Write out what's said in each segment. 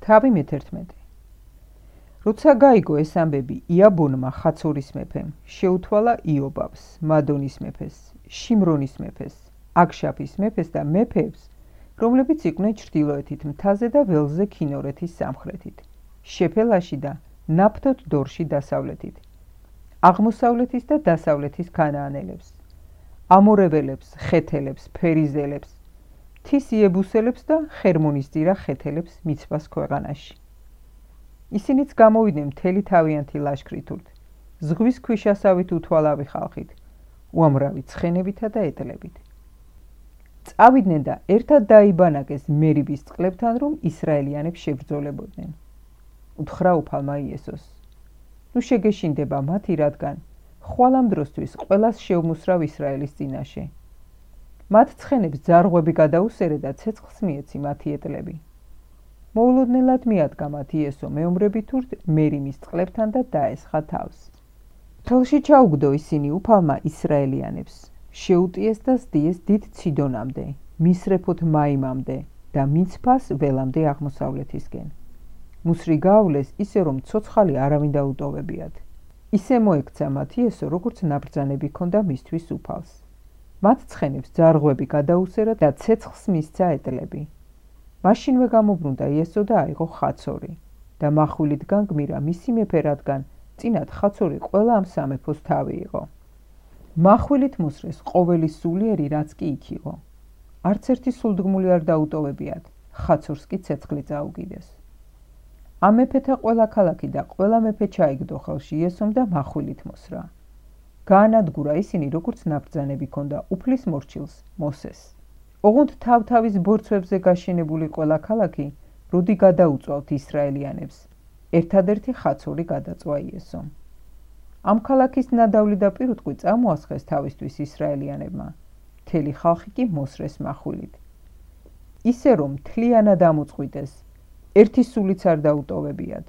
თავი მე-11. როცა გაიგო ეს ამბები იაბონმა ხაცორის მეფემ, შეუთვალა იობაბს, მადონის მეფეს, შიმრონის მეფეს, აქშაფის მეფეს და მეფეებს, რომლებიც იყვნენ ჩრდილოეთით მთაზე და ველზე ქინორეთის სამხრეთით, შეფელაში და ნაფთოთ დორში დასავლეთით, აღმოსავლეთის და დასავლეთის ქანაანელებს, ამორეველებს, ხეთელებს, ფერიზელებს, მთის იებუსელებს და ხერმონისძირა ხეთელებს მიცვას ქვეყანაში. ისინიც გამოვიდნენ მთელი თავიანთი ლაშქრით, ზღვის ქვიშასავით უთვალავი ხალხით, უამრავი ცხენებითა და ეტლებით. წავიდნენ და ერთად დაიბანაკეს მერიბის წყლებთან, რომ ისრაელიანებს შებრძოლებოდნენ. უთხრა უფალმა იესოს: ნუ შეგეშინდება მათი, რადგან ხვალ ამ დროსთვის ყველას შევმუსრავ ისრაელის წინაშე. მათ ცხენებს ძარღვები გადაუსერე და ცეცხლს მიეცი მათი ეტლები. მოულოდნელად მიადგა მათ იესო მეომრები თურთ მერიმის წყლებთან და დაესხა თავს. ხელში ჩაუგდო ისინი უფალმა ისრაელიანებს, შეუტიეს და სდიეს დიდ ციდონამდე, მისრეფოთ მაიმამდე და მიცფას ველამდე აღმოსავლეთისკენ. მუსრი გაავლეს ისე, რომ ცოცხალი არავინ დაუტოვებიათ. ისე მოექცა მათ იესო, როგორც ნაბრძანები ჰქონდა მისთვის უფალს. მათ ცხენებს ძარღვები გადაუსერა და ცეცხლს მისცა ეტლები. მაშინვე გამობრუნდა იესო და აიღო ხაცორი და מחვილით განგმირა მისი მეფე, რადგან წინათ ხაცორი ყველა ამ სამეფოს თავი იყო. מחვილით მოსრეს ყოველი სულიერი, რაც კი იქ იყო. არც ერთი სულდგმული არ დაუტოვებიათ, ხაცორს კი ცეცხლი წაუგიდეს. ამ მეფეთა ყველა ქალაქი და ყველა მეფე ჩაიგდო ხელში იესომ და מחვილით მოსრა. გაანადგურა ისინი, როგორც ნაბრძანები ჰქონდა უფლის მორჩილს, მოსეს. ოღონდ თავ-თავის ბორცვებზე გაშენებული ყველა ქალაქი როდი გადაუწვავთ ისრაელიანებს, ერთადერთი ხაცორი გადაწვა იესომ. ამ ქალაქის ნადავლი და პირუტყვი წამოასხეს თავისთვის ისრაელიანებმა, მთელი ხალხი კი მოსრეს מחვილით. ისე რომ მთლიანად ამოწყვიტეს, ერთი სულიც არ დაუტოვებიათ.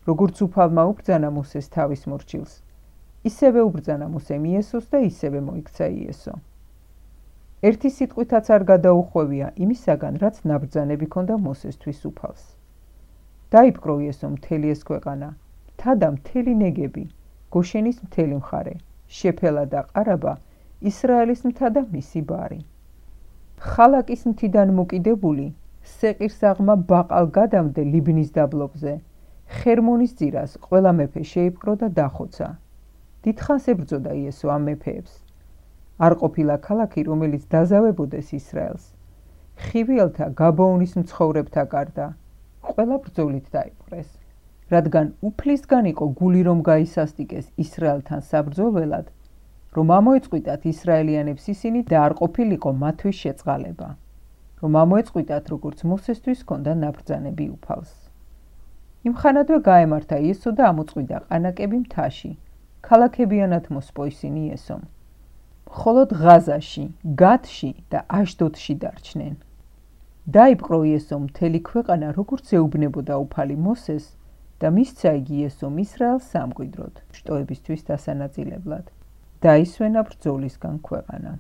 როგორც უფალმა უბრძანა მოსეს თავის მორჩილს, ისევე უბრძანა მოსემ იესოს და ისევე მოიქცა იესო. ერთი სიტყვითაც არ გადაუხვევია იმისაგან, რაც ნაბრძანები ჰქონდა მოსესთვის უფალს. დაიპყრო იესომ მთელი ეს ქვეყანა, მთა და მთელი ნეგები, გოშენის მთელი მხარე, შეფელა და ყარაბა, ისრაელის მთა და მისი ბარი. ხალაკის მთიდან მოკიდებული, სეყირს აღმა ბაყალგადამდე ლიბნის დაბლობზე, ხერმონის ძირას ყველა მეფე შეიპყრო და დახოცა. დიდხანს ებრძოდა იესო ამ მეფეებს. არ ყოფილა ქალაქი, რომელიც დაზავებოდეს ისრაელს. ხივიელთა გაბაონის მცხოვრებთა გარდა, ყველა ბრძოლით დაიპყრეს. რადგან უფლისგან იყო გული, რომ გაისასტიკეს ისრაელთან საბრძოლველად, რომ ამოეწყვიტათ ისრაელიანებს ისინი და არ ყოფილიყო მათთვის შეწყალება, რომ ამოეწყვიტათ, როგორც მოსესთვის ჰქონდა ნაბრძანები უფალს. იმხანადვე გაემართა იესო და ამოწყვიდა ყანაკები მთაში, ქალაქებიანად მოსპო ისინი იესომ. მხოლოდ ღაზაში, გათში და აშდოდში დარჩნენ. დაიპყრო იესომ მთელი ქვეყანა, როგორც ეუბნებოდა უფალი მოსეს და მისცა იგი იესომ ისრაელს სამკვიდროდ, შტოებისთვის დასანაწილებლად. დაისვენა ბრძოლისგან ქვეყანა.